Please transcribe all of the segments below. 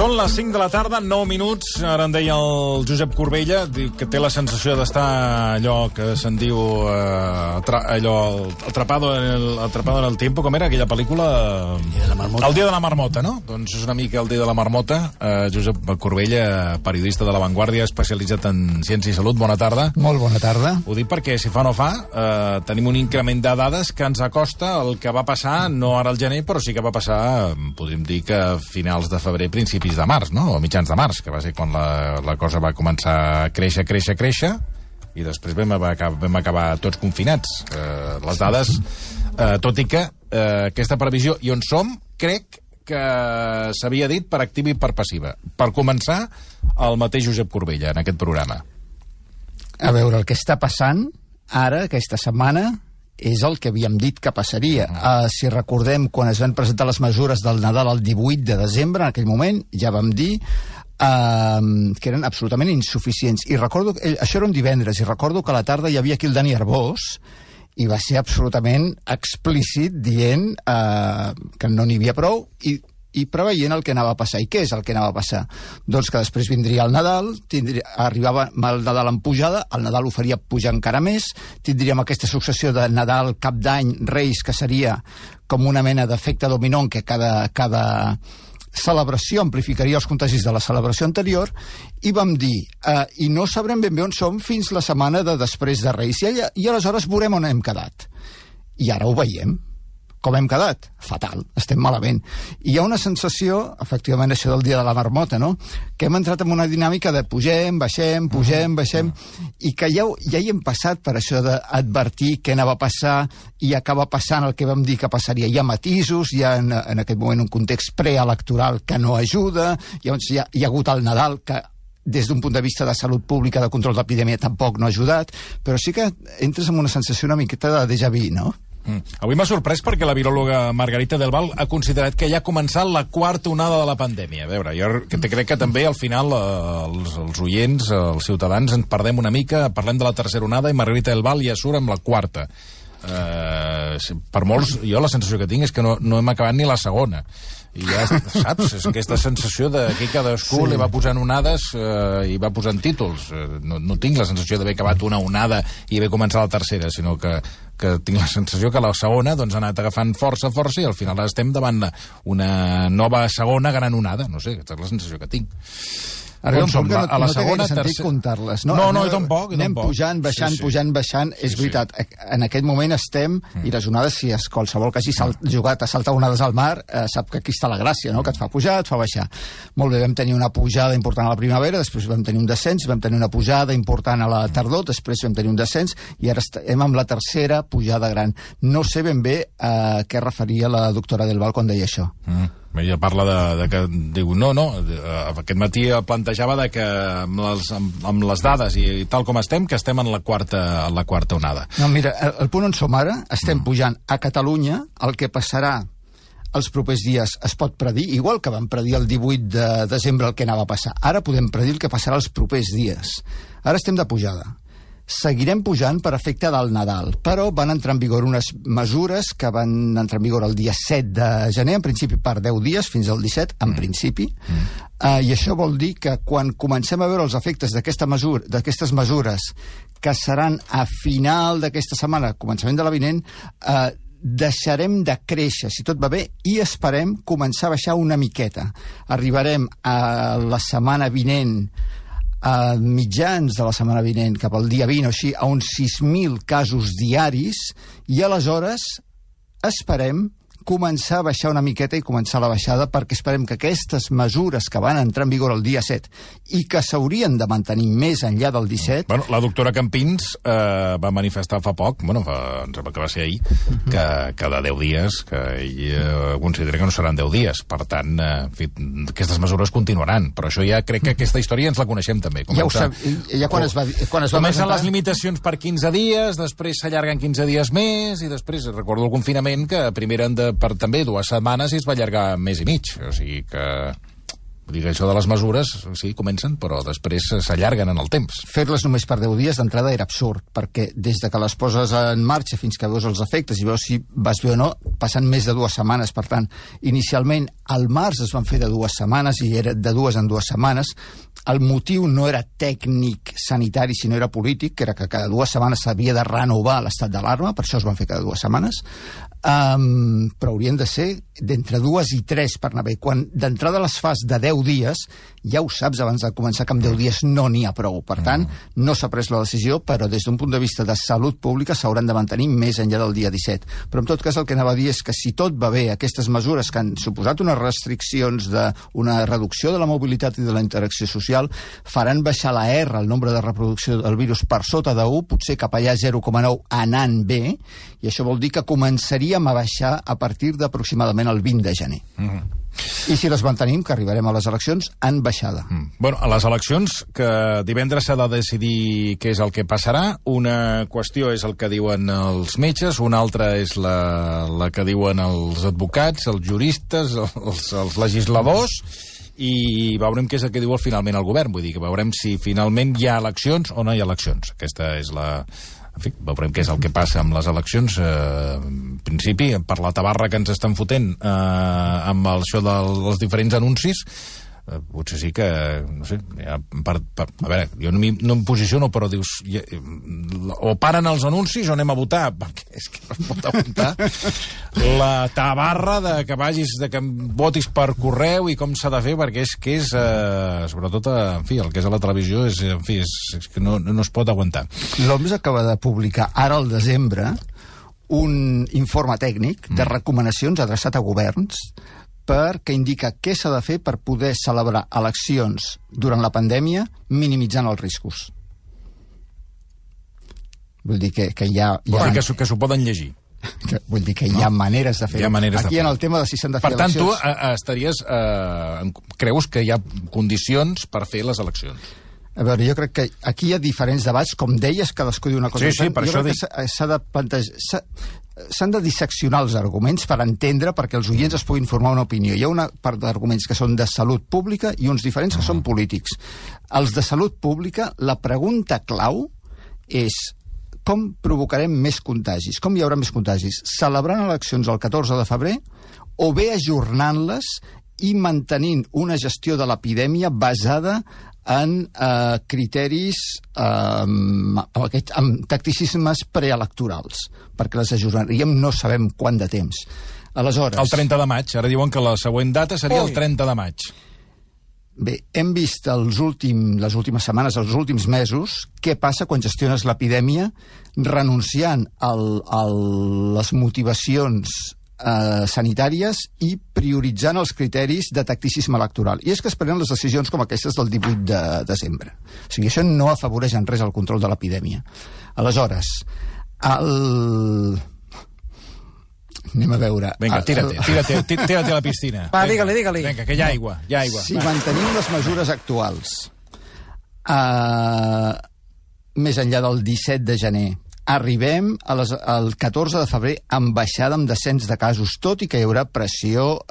Són les 5 de la tarda, 9 minuts. Ara en deia el Josep Corbella, que té la sensació d'estar allò que se'n diu atrapado en el tiempo, com era aquella pel·lícula? El dia de la marmota, no? Doncs és una mica el dia de la marmota. Josep Corbella, periodista de La Vanguardia, especialitzat en ciència i salut. Bona tarda. Molt bona tarda. Ho dic perquè, si fa o no fa, tenim un increment de dades que ens acosta el que va passar, no ara al gener, però sí que va passar, podríem dir que a finals de febrer, principis de març, no? O mitjans de març, que va ser quan la cosa va començar a créixer, i després vam acabar tots confinats. Les dades, tot i que aquesta previsió, i on som, crec que s'havia dit per activa i per passiva. Per començar, el mateix Josep Corbella, en aquest programa. A veure, el que està passant ara, aquesta setmana, és el que havíem dit que passaria. Si recordem, quan es van presentar les mesures del Nadal el 18 de desembre, en aquell moment, ja vam dir que eren absolutament insuficients. I recordo, això era un divendres, i recordo que a la tarda hi havia aquí el Dani Arbós, i va ser absolutament explícit dient que no n'hi havia prou, i preveient el que anava a passar. I què és el que anava a passar? Doncs que després vindria el Nadal, arribava el Nadal en pujada, el Nadal ho faria pujar encara més, tindríem aquesta successió de Nadal, Cap d'Any, Reis, que seria com una mena d'efecte dominó en què cada celebració amplificaria els contagis de la celebració anterior, i vam dir, i no sabrem ben bé on som fins la setmana de després de Reis, i aleshores veurem on hem quedat. I ara ho veiem. Com hem quedat? Fatal, estem malament. I hi ha una sensació, efectivament, això del dia de la marmota, no?, que hem entrat en una dinàmica de pugem, baixem, i que ja hi hem passat per això d'advertir què anava a passar, i acaba passant el que vam dir que passaria. Hi ha matisos, hi ha en aquest moment un context preelectoral que no ajuda, llavors hi ha hagut el Nadal que des d'un punt de vista de salut pública, de control d'epidèmia, tampoc no ha ajudat, però sí que entres en una sensació una miqueta de déjà vu, no? Avui m'ha sorprès perquè la viròloga Margarita del Val ha considerat que ja ha començat la quarta onada de la pandèmia. A veure, jo crec que també al final els oients, els ciutadans, ens perdem una mica, parlem de la tercera onada i Margarita del Val ja surt amb la quarta. Per molts, jo la sensació que tinc és que no hem acabat ni la segona. I ja, saps, és aquesta sensació de que cadascú li va posant onades i va posant títols. No tinc la sensació d'haver acabat una onada i haver començat la tercera, sinó que tinc la sensació que la segona doncs, ha anat agafant força i al final estem davant una nova segona gran onada. No sé, aquesta és la sensació que tinc. Ara a la segona, tercera... comptar-les. No, tampoc. Anem pujant, baixant. És veritat, en aquest moment estem, i les onades, si qualsevol que hagi jugat a saltar onades al mar, sap que aquí està la gràcia, no?, que et fa pujar, et fa baixar. Molt bé, vam tenir una pujada important a la primavera, després vam tenir un descens, vam tenir una pujada important a la tardor, després vam tenir un descens, i ara estem amb la tercera pujada gran. No sé ben bé a què referia la doctora Del Val quan deia això. Ella parla de que diu, no, aquest matí plantejava de que amb les dades i tal com estem, que estem en la quarta onada. No, mira, el punt on som ara, estem pujant a Catalunya, el que passarà els propers dies es pot predir, igual que vam predir el 18 de desembre el que anava a passar. Ara podem predir el que passarà els propers dies. Ara estem de pujada. Seguirem pujant per efecte del Nadal, però van entrar en vigor unes mesures que van entrar en vigor el dia 7 de gener, en principi per 10 dies, fins al 17, en principi, i això vol dir que quan comencem a veure els efectes d'aquestes mesures, que seran a final d'aquesta setmana, començament de la vinent, deixarem de créixer, si tot va bé, i esperem començar a baixar una miqueta. Arribarem a la setmana vinent, a mitjans de la setmana vinent, cap al dia 20 o així, a uns 6.000 casos diaris, i aleshores esperem començar a baixar una miqueta i començar la baixada, perquè esperem que aquestes mesures que van entrar en vigor el dia 7 i que s'haurien de mantenir més enllà del 17... Bueno, la doctora Campins va manifestar fa poc, em sembla que va ser ahir, que de 10 dies, que ell considera que no seran 10 dies. Per tant, aquestes mesures continuaran. Però això ja crec que aquesta història ens la coneixem també. Ja ho sap, ja quan es va comencen les limitacions per 15 dies, després s'allarguen 15 dies més, i després recordo el confinament, que primer eren per també 2 setmanes i es va allargar 1 mes i mig. O sigui que... Vull dir que això de les mesures, sí, comencen, però després s'allarguen en el temps. Fer-les només per 10 dies d'entrada era absurd, perquè des de que les poses en marxa fins que veus els efectes i veus si vas bé o no, passen més de 2 setmanes. Per tant, inicialment, al març es van fer de 2 setmanes i era de 2 en 2 setmanes. El motiu no era tècnic sanitari, sinó era polític, que era que cada 2 setmanes s'havia de renovar l'estat d'alarma, per això es van fer cada 2 setmanes. Però haurien de ser d'entre 2 i 3 per anar bé. Quan d'entrada les fas de 10 dies, ja ho saps abans de començar que amb 10 dies no n'hi ha prou. Per tant, no s'ha pres la decisió, però des d'un punt de vista de salut pública s'hauran de mantenir més enllà del dia 17. Però en tot cas el que anava a dir és que si tot va bé, aquestes mesures que han suposat unes restriccions d'una reducció de la mobilitat i de la interacció social faran baixar la R, el nombre de reproducció del virus, per sota de 1, potser cap allà 0,9 anant bé, i això vol dir que començaríem a baixar a partir d'aproximadament el 20 de gener. I si les mantenim, que arribarem a les eleccions en baixada. Bueno, a les eleccions, que divendres s'ha de decidir què és el que passarà. Una qüestió és el que diuen els metges, una altra és la que diuen els advocats, els juristes, els legisladors, i veurem què és el que diu finalment el govern. Vull dir que veurem si finalment hi ha eleccions o no hi ha eleccions. Aquesta és la... En fi, veurem què és el que passa amb les eleccions. En principi, per la tabarra que ens estan fotent amb això dels diferents anuncis, potser sí que, no sé, a veure, jo no em posiciono, però dius, o paren els anuncis o anem a votar, perquè és que no es pot aguantar la tabarra de que vagis, de que votis per correu i com s'ha de fer, perquè és que és, sobretot, en fi, el que és a la televisió, és que no es pot aguantar. L'OMS acaba de publicar ara al desembre un informe tècnic de recomanacions adreçat a governs perquè indica què s'ha de fer per poder celebrar eleccions durant la pandèmia minimitzant els riscos. Vull dir que hi ha... Que s'ho poden llegir. Vull dir que hi ha maneres de fer-ho. Aquí en el tema de si s'han de fer eleccions... Per tant, tu estaries... creus que hi ha condicions per fer les eleccions? A veure, jo crec que aquí hi ha diferents debats, com deies, cadascú diu una cosa. Sí, per jo això crec que s'ha de plantejar... S'han de disseccionar els arguments per entendre, perquè els oients es puguin formar una opinió. Hi ha una part d'arguments que són de salut pública i uns diferents que són polítics. Els de salut pública, la pregunta clau és com provocarem més contagis? Com hi haurà més contagis? Celebrant eleccions el 14 de febrer o bé ajornant-les i mantenint una gestió de l'epidèmia basada en criteris amb tacticismes preelectorals, perquè les ajornaríem no sabem quant de temps. Aleshores... El 30 de maig. Ara diuen que la següent data seria el 30 de maig. Bé, hem vist les últimes setmanes, els últims mesos, què passa quan gestiones l'epidèmia renunciant a les motivacions sanitàries i prioritzant els criteris de tacticisme electoral. I és que es prenen les decisions com aquestes del 18 de desembre. O sigui, això no afavoreix en res el control de l'epidèmia. Aleshores, anem a veure... Vinga, tira-te a la piscina. Va, digue-li. Vinga, que hi ha aigua. Si mantenim les mesures actuals més enllà del 17 de gener, arribem al 14 de febrer amb baixada, amb descens de casos, tot i que hi haurà pressió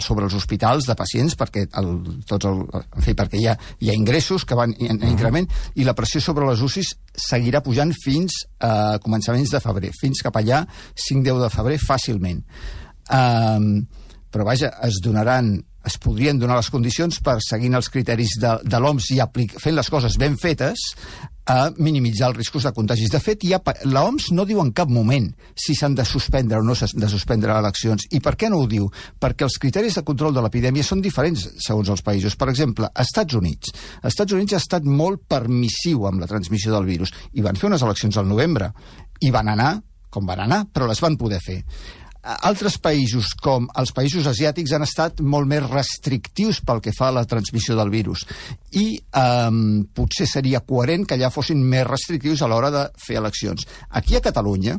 sobre els hospitals de pacients, perquè perquè hi ha ingressos que van en increment, i la pressió sobre les UCIs seguirà pujant fins a començaments de febrer, fins cap allà 5-10 de febrer fàcilment. Però vaja, es podrien donar les condicions per, seguint els criteris de l'OMS i fent les coses ben fetes, a minimitzar els riscos de contagis. De fet, l'OMS no diu en cap moment si s'han de suspendre o no s'han de suspendre eleccions. I per què no ho diu? Perquè els criteris de control de l'epidèmia són diferents segons els països. Per exemple, als Estats Units ha estat molt permissiu amb la transmissió del virus i van fer unes eleccions al novembre i van anar com van anar, però les van poder fer. Altres països, com els països asiàtics, han estat molt més restrictius pel que fa a la transmissió del virus. I potser seria coherent que allà fossin més restrictius a l'hora de fer eleccions. Aquí a Catalunya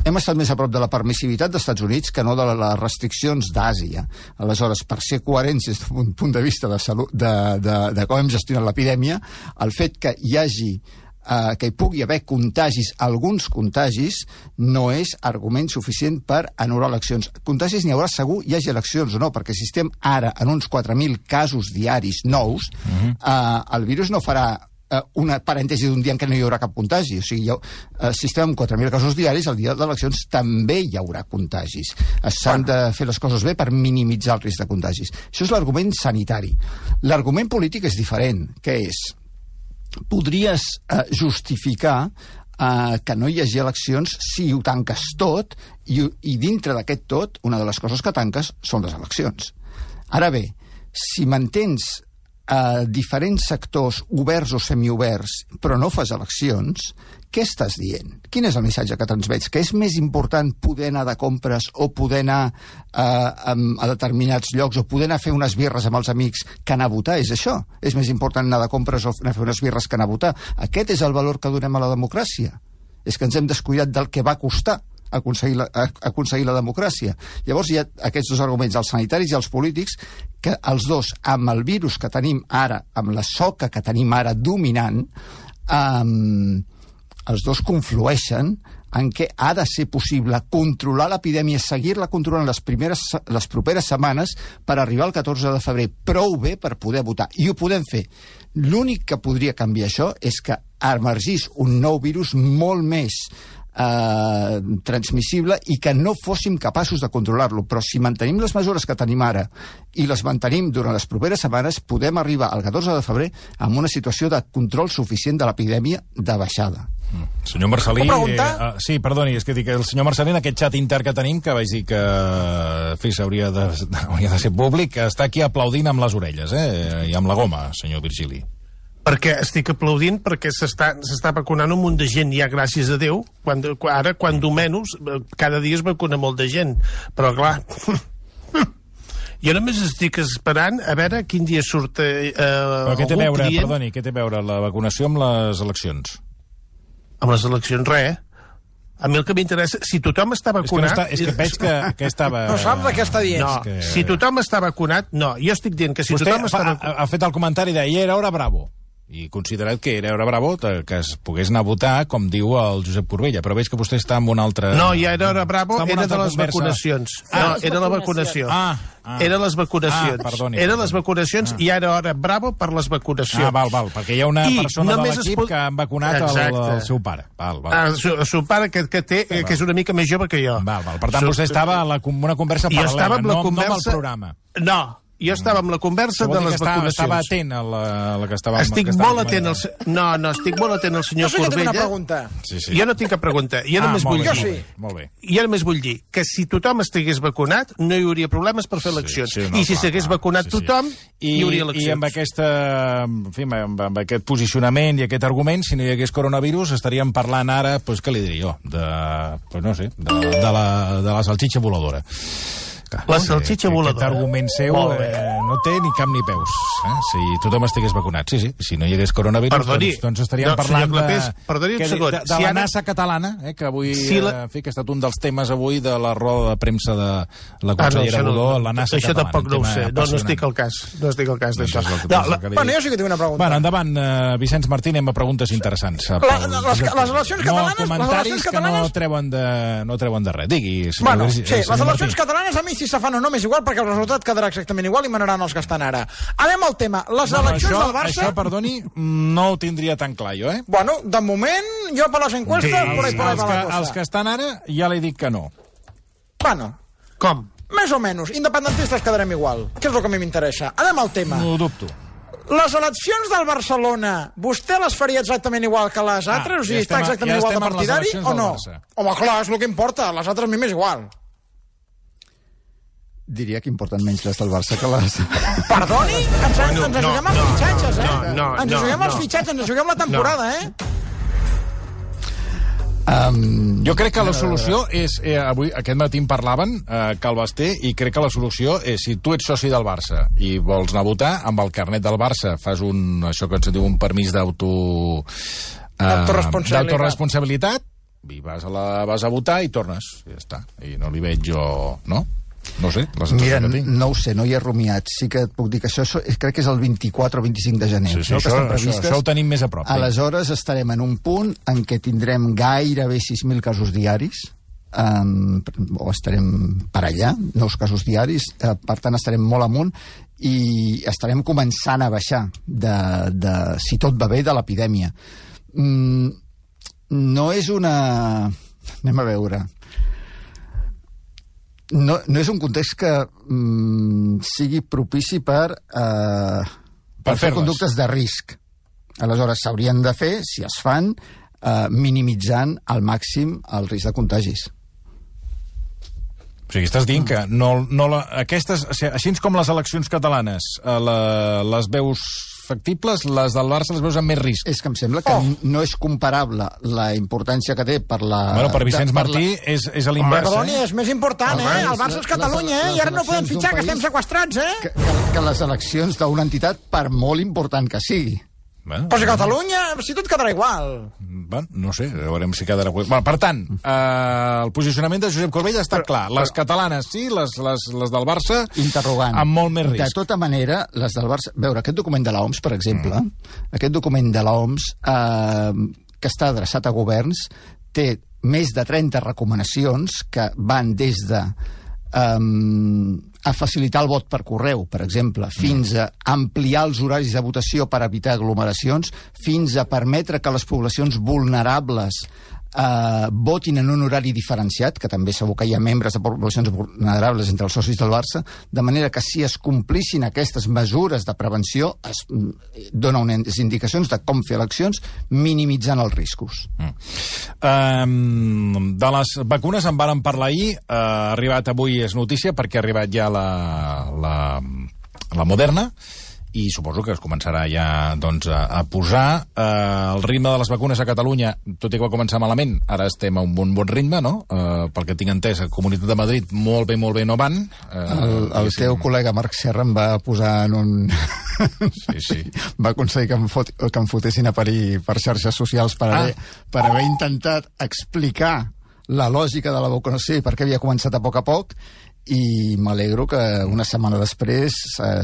hem estat més a prop de la permissivitat dels Estats Units que no de les restriccions d'Àsia. Aleshores, per ser coherents des d'un punt de vista de salut, de com hem gestionat l'epidèmia, el fet que hi hagi que hi pugui haver contagis, alguns contagis, no és argument suficient per anul·lar eleccions. Contagis n'hi haurà segur, hi hagi eleccions o no, perquè si estem ara en uns 4.000 casos diaris nous, el virus no farà una parèntesi d'un dia en què no hi haurà cap contagi. O sigui, si estem amb 4.000 casos diaris, el dia d'eleccions també hi haurà contagis. S'han de fer les coses bé per minimitzar el risc de contagis. Això és l'argument sanitari. L'argument polític és diferent, que és podries justificar que no hi hagi eleccions si ho tanques tot i dintre d'aquest tot, una de les coses que tanques són les eleccions. Ara bé, si mantens diferents sectors oberts o semioberts però no fas eleccions, què estàs dient? Quin és el missatge que transmets? Que és més important poder anar de compres o poder anar a determinats llocs o poder anar a fer unes birres amb els amics que anar a votar? És això? És més important anar de compres o anar a fer unes birres que anar a votar? Aquest és el valor que donem a la democràcia. És que ens hem descuidat del que va costar aconseguir la democràcia. Llavors hi ha aquests dos arguments, els sanitaris i els polítics, que els dos, amb el virus que tenim ara, amb la soca que tenim ara dominant, els dos conflueixen en què ha de ser possible controlar l'epidèmia, seguir-la controlant les properes setmanes per arribar al 14 de febrer prou bé per poder votar. I ho podem fer. L'únic que podria canviar això és que emergís un nou virus molt més transmissible i que no fóssim capaços de controlar-lo. Però si mantenim les mesures que tenim ara i les mantenim durant les properes setmanes, podem arribar al 14 de febrer amb una situació de control suficient de l'epidèmia de baixada. Senyor Marcelí... sí, perdoni, és que dic, el senyor Marcelí, en aquest xat intern que tenim, que vaig dir que hauria de ser públic, està aquí aplaudint amb les orelles, i amb la goma, senyor Virgili. Perquè estic aplaudint perquè s'està vacunant un munt de gent, ja gràcies a Déu. Ara, quan menys, cada dia es vacuna molt de gent. Però, clar, jo només estic esperant a veure quin dia surt però què té a veure, perdoni, què té a veure la vacunació amb les eleccions? Amb les eleccions, res. A mi el que m'interessa, si tothom està vacunat... És que veig que estava... No saps què està dient. No, si tothom està vacunat... No, jo estic dient que si tothom està vacunat... Vostè ha fet el comentari de era hora bravo. I considerat que era bravo que es pogués anar a votar, com diu el Josep Corbella, però veig que vostè està en un altre... No, ja era bravo, era de les vacunacions. No, era la vacunació. Era les vacunacions. Perdoni. Era les vacunacions i ara hora bravo per les vacunacions. Val, perquè hi ha una persona de l'equip que han vacunat el seu pare. El seu pare, que és una mica més jove que jo. Per tant, vostè estava en una conversa paral·lela, no amb el programa. No. Jo estava amb la conversa de les vacunacions. Estava atent a la que estava... Estic molt atent al... No, estic molt atent al senyor Corbella. Jo sí que tinc una pregunta. Jo no tinc cap pregunta. Jo només vull dir... Molt bé. Jo només vull dir que si tothom estigués vacunat no hi hauria problemes per fer eleccions. I si s'hagués vacunat tothom, hi hauria eleccions. I amb aquesta... En fi, amb aquest posicionament i aquest argument, si no hi hagués coronavirus, estaríem parlant ara, doncs què li diria jo? De la salxitxa voladora. La salxitxa voladora. Aquest argument seu no té ni cap ni peus. Si tothom estigués vacunat. Sí, si no hi hagués coronavirus, doncs estaríem parlant de la NASA catalana, que avui que ha estat un dels temes avui de la roda de premsa de la consellera Budó, la NASA catalana. Això tampoc no ho sé, no estic al cas. No estic al cas d'això. Bueno, jo sí que tinc una pregunta. Bueno, endavant, Vicenç Martín, anem a preguntes interessants. Les eleccions catalanes... No, comentaris que no treuen de res. Digui, bueno, sí, les eleccions catalanes a mi si se fan o no m'és igual perquè el resultat quedarà exactament igual i manaran els que estan ara. Anem al tema. Les eleccions del Barça... Això, perdoni, no ho tindria tan clar jo, Bueno, de moment, jo per les enquestes... Els que estan ara ja li dic que no. Bueno. Com? Més o menys. Independentistes quedarem igual. Que és el que a mi m'interessa. Anem al tema. No ho dubto. Les eleccions del Barcelona, vostè les faria exactament igual que les altres? O sigui, està exactament igual de partidari o no? Home, clar, és el que importa. Les altres a mi m'és igual. Diria que importen menys les del Barça que les... Perdoni? Ens juguem els fitxatges, Ens juguem els fitxatges, ens juguem la temporada, Jo crec que la solució és... Avui, aquest matí en parlaven, Cal Basté, i crec que la solució és, si tu ets soci del Barça i vols anar a votar, amb el carnet del Barça fas això que ens diu un permís d'autoresponsabilitat, i vas a votar i tornes. Ja està. I no li veig jo... No? No sé, la sensació Mira, que tinc. no ho sé, no hi he rumiat. Sí que et puc dir que això crec que és el 24 o 25 de gener. Sí, això ho tenim més a prop. Aleshores estarem en un punt en què tindrem gairebé 6.000 casos diaris, o estarem per allà, 9 casos diaris, per tant estarem molt amunt i estarem començant a baixar si tot va bé, de l'epidèmia. No és una... Anem a veure. No és un context que sigui propici per fer conductes de risc. Aleshores, s'haurien de fer, si es fan, minimitzant al màxim el risc de contagis. O sigui, estàs dient que aquestes, així com les eleccions catalanes, les veus factibles, les del Barça les veus amb més risc. És que em sembla que no és comparable la importància que té per la... Bueno, per Vicenç Martí és a l'invers, Perdoni, és més important, el Barça és Catalunya, i ara no podem fitxar, que estem sequestrats, que les eleccions d'una entitat, per molt important que sigui. Però si Catalunya, si tot quedarà igual. Bueno, no sé, veurem si quedarà igual. Bueno, per tant, el posicionament de Josep Corbella està clar. Les catalanes sí, les del Barça... Interrogant. Amb molt més risc. De tota manera, les del Barça... Veure, aquest document de l'OMS, per exemple, aquest document de l'OMS, que està adreçat a governs, té més de 30 recomanacions que van des de... a facilitar el vot per correu, per exemple, fins a ampliar els horaris de votació per evitar aglomeracions, fins a permetre que les poblacions vulnerables votin en un horari diferenciat, que també segur que hi ha membres de poblacions vulnerables entre els socis del Barça, de manera que si es complissin aquestes mesures de prevenció es dona unes indicacions de com fer eleccions minimitzant els riscos. De les vacunes en vàrem parlar ahir, ha arribat avui, és notícia, perquè ha arribat ja la Moderna, i suposo que es començarà ja doncs, a posar. El ritme de les vacunes a Catalunya, tot i que va començar malament, ara estem a un bon ritme, no? Pel que tinc entès, a Comunitat de Madrid molt bé no van. El teu col·lega Marc Serra em va posar en un... Sí. Va aconseguir que em fotessin a parir per xarxes socials per haver intentat explicar la lògica de la vacunació i per què havia començat a poc, i m'alegro que una setmana després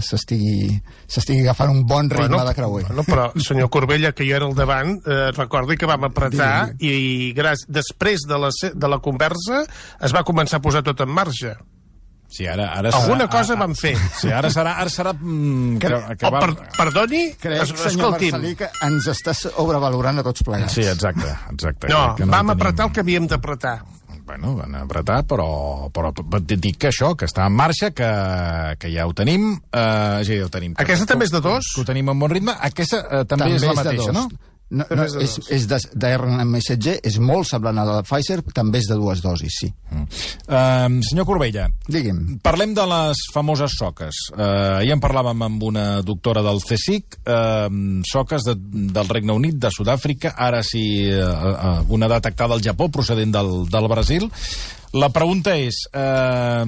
s'estigui agafant un bon ritme de creuer. Però, senyor Corbella, que jo era al davant, recordi que vam apretar i després de la conversa es va començar a posar tot en marxa. Sí, ara alguna cosa vam fer. Sí, ara serà perdoni? Crec, senyor Marcelí, que ens està sobrevalorant a tots plegats. Sí, exacte. No, vam apretar el que havíem d'apretar. Bueno, van apretar, però dic que això, que està en marxa, que ja ho tenim. Ja ho tenim. Aquesta també és de 2? Que ho tenim en bon ritme. Aquesta també és la mateixa, no? No, és d'RNA-messatger, és molt semblant a la de Pfizer, també és de 2 dosis, sí. Senyor Corbella, digui'm. Parlem de les famoses soques. Ja en parlàvem amb una doctora del CSIC, soques del Regne Unit, de Sud-àfrica, ara sí una detectada al Japó, procedent del Brasil. La pregunta és, a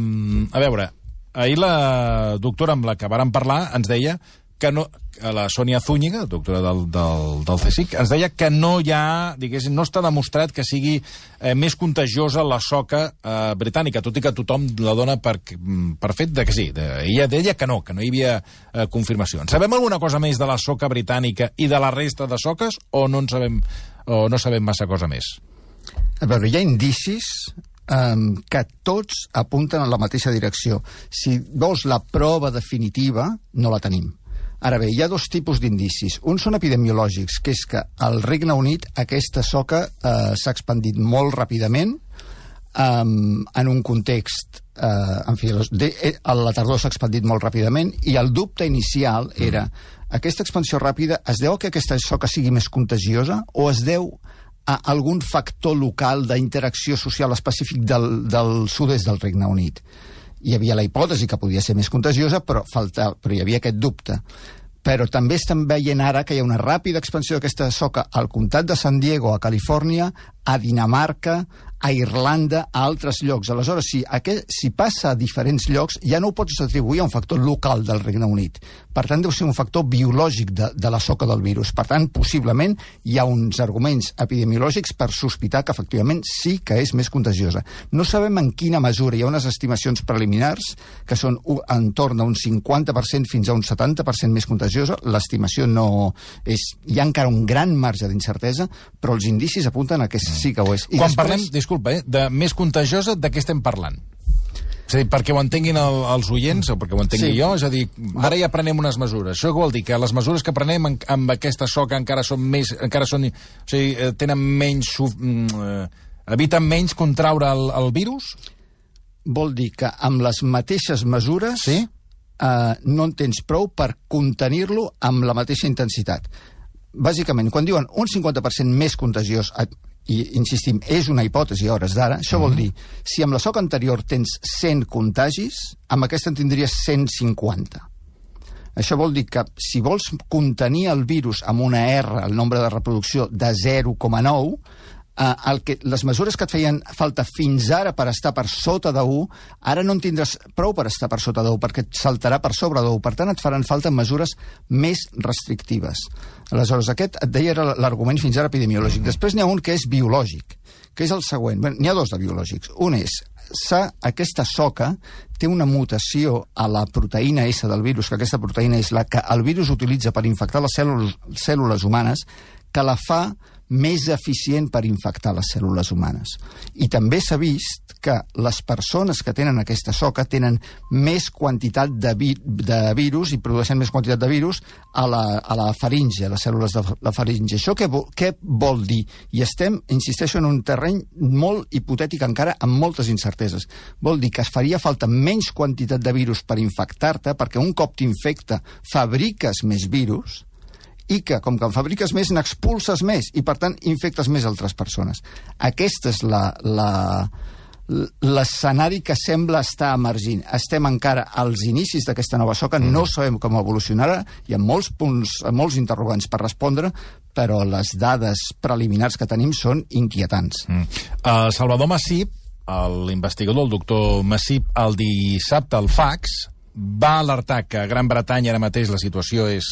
veure, ahir la doctora amb la que vàrem parlar ens deia que no, la Sònia Zúñiga, doctora del CSIC, ens deia que no hi ha, diguéssim, no està demostrat que sigui més contagiosa la soca britànica, tot i que tothom la dona per fet de que sí. Ella deia que no hi havia confirmació. Sabem alguna cosa més de la soca britànica i de la resta de soques o no sabem massa cosa més? A veure, hi ha indicis que tots apunten en la mateixa direcció. Si vols la prova definitiva, no la tenim. Ara bé, hi ha 2 tipus d'indicis. Un són epidemiològics, que és que al Regne Unit aquesta soca s'ha expandit molt ràpidament en un context... en fi, a la tardor s'ha expandit molt ràpidament i el dubte inicial era aquesta expansió ràpida es deu a que aquesta soca sigui més contagiosa o es deu a algun factor local d'interacció social específic del sud-est del Regne Unit. Hi havia la hipòtesi que podia ser més contagiosa, però hi havia aquest dubte. Però també estem veient ara que hi ha una ràpida expansió d'aquesta soca al comtat de San Diego, a Califòrnia, a Dinamarca, a Irlanda, a altres llocs. Aleshores, si passa a diferents llocs, ja no ho pots atribuir a un factor local del Regne Unit. Per tant, deu ser un factor biològic de la soca del virus. Per tant, possiblement hi ha uns arguments epidemiològics per sospitar que efectivament sí que és més contagiosa. No sabem en quina mesura. Hi ha unes estimacions preliminars que són entorn d'un 50% fins a un 70% més contagiosa. L'estimació no és... Hi ha encara un gran marge d'incertesa, però els indicis apunten a que sí que ho és. Quan parlem, disculpa, de més contagiosa, de què estem parlant? És a dir, perquè ho entenguin els oients, o perquè ho entengui jo, és a dir, ara ja prenem unes mesures. Això vol dir que les mesures que prenem amb aquesta soca encara són més... o sigui, tenen menys... eviten menys contraure el virus? Vol dir que amb les mateixes mesures no en tens prou per contenir-lo amb la mateixa intensitat. Bàsicament, quan diuen un 50% més contagiós, i insistim, és una hipòtesi a hores d'ara, això vol dir, si amb la soca anterior tens 100 contagis, amb aquesta en tindries 150. Això vol dir que si vols contenir el virus amb una R, el nombre de reproducció, de 0,9, les mesures que et feien falta fins ara per estar per sota de 1, ara no en tindràs prou per estar per sota de 1, perquè et saltarà per sobre de 1. Per tant, et faran falta mesures més restrictives. Aleshores, aquest, et deia, era l'argument fins ara epidemiològic. Després n'hi ha un que és biològic, que és el següent. Bé, n'hi ha dos de biològics. Un és, aquesta soca té una mutació a la proteïna S del virus, que aquesta proteïna és la que el virus utilitza per infectar les cèl·lules humanes, que la fa més eficient per infectar les cèl·lules humanes. I també s'ha vist que les persones que tenen aquesta soca tenen més quantitat de virus i produeixen més quantitat de virus a la faringe, a les cèl·lules de la faringe. Això què vol dir? I estem, insisteixo, en un terreny molt hipotètic encara, amb moltes incerteses. Vol dir que es faria falta menys quantitat de virus per infectar-te, perquè un cop t'infecta fabriques més virus, i que, com que en fabriques més, n'expulses més, i per tant infectes més altres persones. Aquest és l'escenari que sembla estar emergint. Estem encara als inicis d'aquesta nova soca, no sabem com evolucionarà, hi ha molts punts, molts interrogants per respondre, però les dades preliminars que tenim són inquietants. Salvador Massip, l'investigador, el doctor Massip, el dissabte al Fax, va alertar que a Gran Bretanya ara mateix la situació és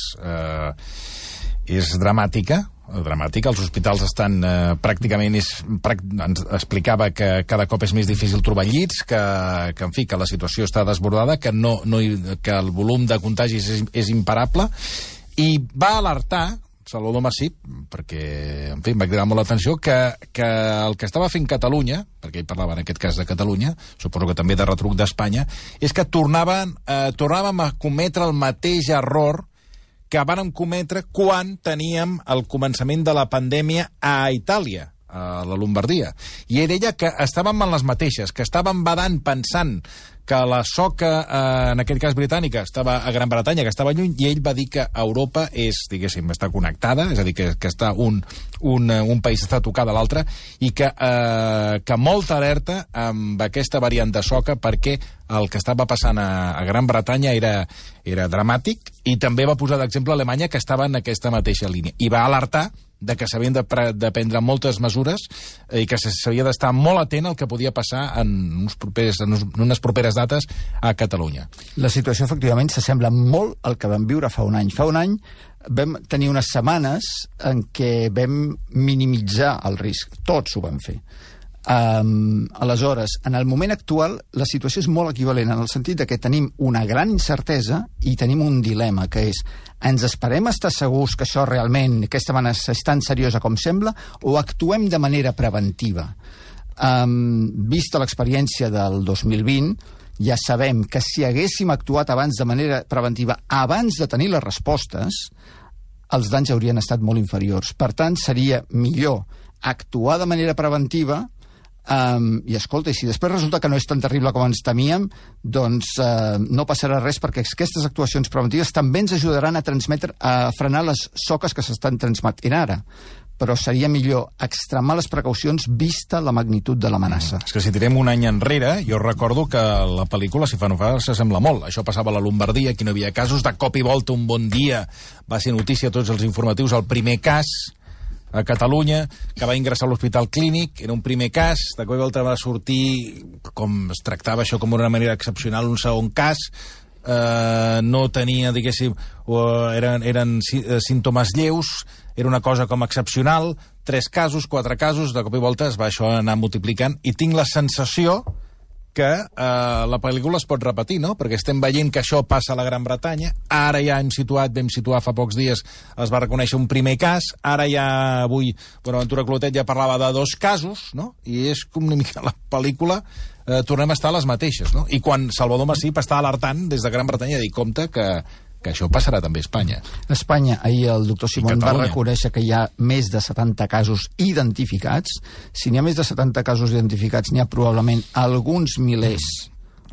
dramàtica, els hospitals estan pràcticament... ens explicava que cada cop és més difícil trobar llits, que en fi, que la situació està desbordada, que el volum de contagis és imparable, i va alertar Salvador Massip, perquè, en fi, em va cridar molt l'atenció, que el que estava fent Catalunya, perquè ell parlava en aquest cas de Catalunya, suposo que també de retruc d'Espanya, és que tornàvem a cometre el mateix error que vàrem cometre quan teníem el començament de la pandèmia a Itàlia, a la Lombardia. I ell deia que estàvem en les mateixes, que estàvem badant pensant que la soca, en aquest cas britànica, estava a Gran Bretanya, que estava lluny, i ell va dir que Europa és, diguéssim, està connectada, és a dir, que està un país està tocat a l'altre, i que molta alerta amb aquesta variant de soca, perquè el que estava passant a Gran Bretanya era dramàtic, i també va posar d'exemple Alemanya, que estava en aquesta mateixa línia. I va alertar de que s'havien de prendre moltes mesures i que s'havia d'estar molt atent al que podia passar en unes properes dates a Catalunya. La situació, efectivament, s'assembla molt al que vam viure fa un any. Fa un any vam tenir unes setmanes en què vam minimitzar el risc. Tots ho vam fer. Aleshores, en el moment actual, la situació és molt equivalent, en el sentit de que tenim una gran incertesa i tenim un dilema, que és: ens esperem estar segurs que això realment, aquesta amenaça és tan seriosa com sembla, o actuem de manera preventiva? Vista l'experiència del 2020, ja sabem que si haguéssim actuat abans de manera preventiva, abans de tenir les respostes, els danys haurien estat molt inferiors. Per tant, seria millor actuar de manera preventiva. I escolta, i si després resulta que no és tan terrible com ens temíem, doncs no passarà res, perquè aquestes actuacions preventives també ens ajudaran a frenar les soques que s'estan transmetent ara. Però seria millor extremar les precaucions vista la magnitud de l'amenaça. És que si tirem un any enrere, jo recordo que la pel·lícula, si fa no fa, s'assembla molt. Això passava a la Lombardia, aquí no hi havia casos, de cop i volta un bon dia va ser notícia a tots els informatius el primer cas a Catalunya, que va ingressar a l'Hospital Clínic, era un primer cas, de cop i volta va sortir, com es tractava això com una manera excepcional, un segon cas, no tenia, diguéssim, eren símptomes lleus, era una cosa com excepcional, 3 casos, 4 casos, de cop i volta es va això anar multiplicant, i tinc la sensació que la pel·lícula es pot repetir, no? Perquè estem veient que això passa a la Gran Bretanya, ara ja vam situar fa pocs dies, es va reconèixer un primer cas, ara ja avui Bonaventura Clotet ja parlava de 2 casos, no? I és com una mica la pel·lícula, tornem a estar a les mateixes, no? I quan Salvador Masip està alertant des de Gran Bretanya a dir, compte que això passarà també a Espanya. A Espanya, ahir el doctor Simón va reconèixer que hi ha més de 70 casos identificats. Si n'hi ha més de 70 casos identificats, n'hi ha probablement alguns milers,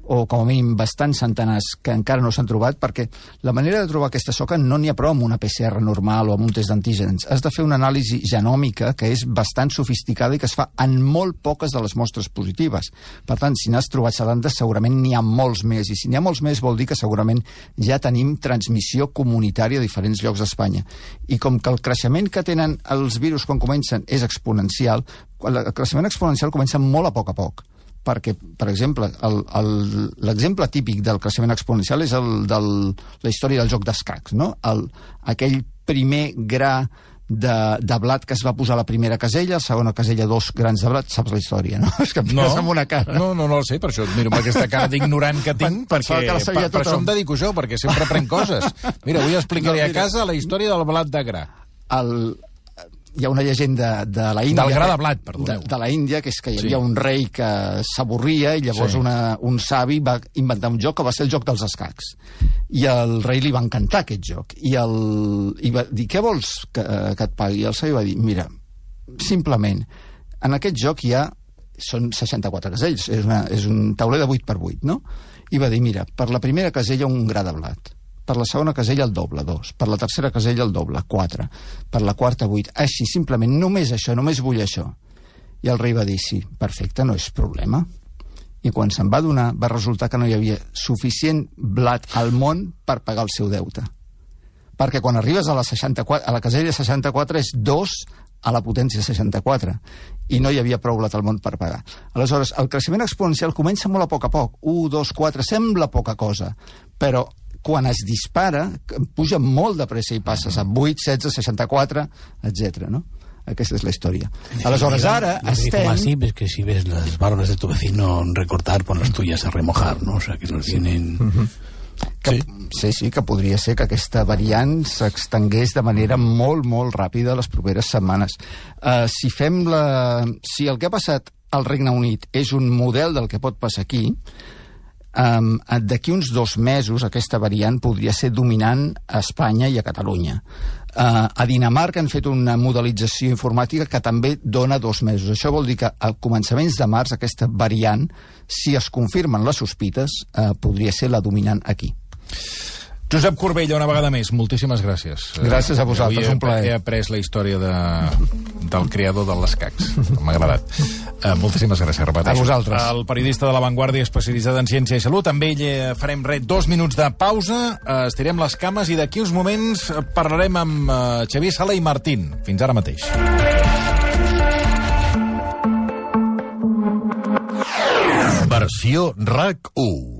o com a mínim bastants centenars, que encara no s'han trobat, perquè la manera de trobar aquesta soca no n'hi ha prou amb una PCR normal o amb un test d'antígens. Has de fer una anàlisi genòmica que és bastant sofisticada i que es fa en molt poques de les mostres positives. Per tant, si n'has trobat 70, segurament n'hi ha molts més, i si n'hi ha molts més vol dir que segurament ja tenim transmissió comunitària a diferents llocs d'Espanya. I com que el creixement que tenen els virus quan comencen és exponencial, el creixement exponencial comença molt a poc, perquè, per exemple, l'exemple típic del creixement exponencial és la història del joc d'escacs, no? Aquell primer gra de blat que es va posar a la primera casella, a la segona casella 2 grans de blat, saps la història, no? És que em fes amb una cara. No lo sé, per això miro amb aquesta cara d'ignorant que tinc, perquè per això em dedico jo, perquè sempre prenc coses. Mira, avui explicaré a casa la història del blat de gra. Hi ha una llegenda de la Índia... Del gra de blat, perdoneu. De la Índia, que és que hi havia un rei que s'avorria i llavors un savi va inventar un joc que va ser el joc dels escacs. I al rei li va encantar aquest joc. I va dir, què vols que et pagui? I el savi va dir, mira, simplement, en aquest joc són 64 casells, és un tauler de 8x8, no? I va dir, mira, per la primera casella un gra de blat, per la segona casella el doble, 2, per la tercera casella el doble, 4, per la quarta 8, així, simplement, només això, només vull això. I el rei va dir, sí, perfecte, no és problema. I quan se'n va donar, va resultar que no hi havia suficient blat al món per pagar el seu deute. Perquè quan arribes a la casella 64 és 2 a la potència 64, i no hi havia prou blat al món per pagar. Aleshores, el creixement exponencial comença molt a poc, 1, 2, 4, sembla poca cosa, però quan es dispara, puja molt de pressa i passes a 8, 16, 64, etc. ¿no? Aquesta és la història. Aleshores, ara estem... Así es que si ves las barbas de tu vecino recortar, pon las tuyas a remojar, ¿no? O sea, que nos tienen... Sí, que podria ser que aquesta variant s'extengués de manera molt, molt ràpida les properes setmanes. Si el que ha passat al Regne Unit és un model del que pot passar aquí, d'aquí uns 2 mesos aquesta variant podria ser dominant a Espanya i a Catalunya. A Dinamarca han fet una modelització informàtica que també dona 2 mesos. Això vol dir que a començaments de març aquesta variant, si es confirmen les sospites, podria ser la dominant aquí. Josep Corbella, una vegada més, moltíssimes gràcies. Gràcies a vosaltres, un plaer. He après la història del creador de l'escacs. M'ha agradat. Moltíssimes gràcies, repeteixo. A vosaltres. El periodista de La Vanguardia especialitzat en ciència i salut. Amb ell farem 2 minuts de pausa, estirem les cames i d'aquí uns moments parlarem amb Xavier Sala i Martín. Fins ara mateix. Versió RAC 1.